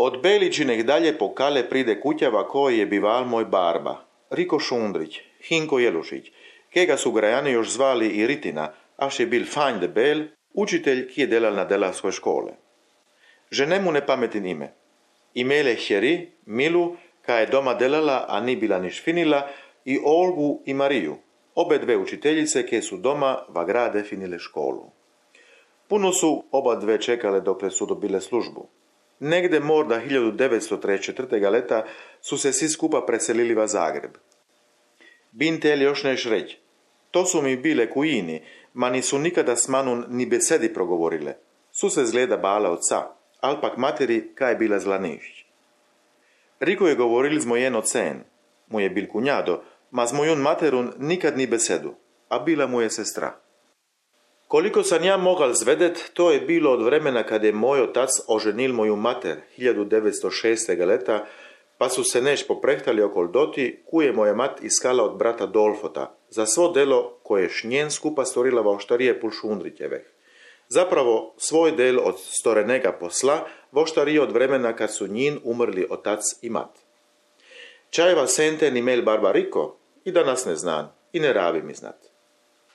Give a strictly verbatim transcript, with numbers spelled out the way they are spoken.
Od Beličinek dalje po kale pride kutjava koji je bival moj barba, Riko Šundrić, Hinko Jelušić, kega su grajani još zvali i Ritina, až je bil fanj debel, učitelj, ki je delal na delavskoj škole. Ženemu ne pametin ime. Imele hjeri, Milu, ka je doma delala, a ni bila niš finila, i Olgu i Mariju, obe dve učiteljice, ke su doma va grade finile školu. Puno su oba dve čekale dokle su dobile službu. Negde morda hiljadu devetsto trideset četvrtega leta su se svi skupa preselili va Zagreb. Bin tel još neš reć, to su mi bile kujini, ma nisu nikada s manom ni besedi progovorile. Su se zgleda bale oca, al pak materi kaj je bila zlanišć. Riko je govoril z mojen ocen, mu je bil kunjado, ma z mojun materun nikad ni besedu, a bila mu je sestra. Koliko sam ja mogal zvedet, to je bilo od vremena kad je moj otac oženil moju mater hiljadu devetsto šestega leta, pa su se neš poprehtali okol doti, ku je moja mat iskala od brata Dolfota, za svo delo koje je šnjen skupa storila va oštarije pul Šundrićeveh. Zapravo, svoj del od storenega posla voštarije od vremena kad su njin umrli otac i mat. Čajeva senten imel barba Riko, i danas ne znan, i ne rabi mi znat.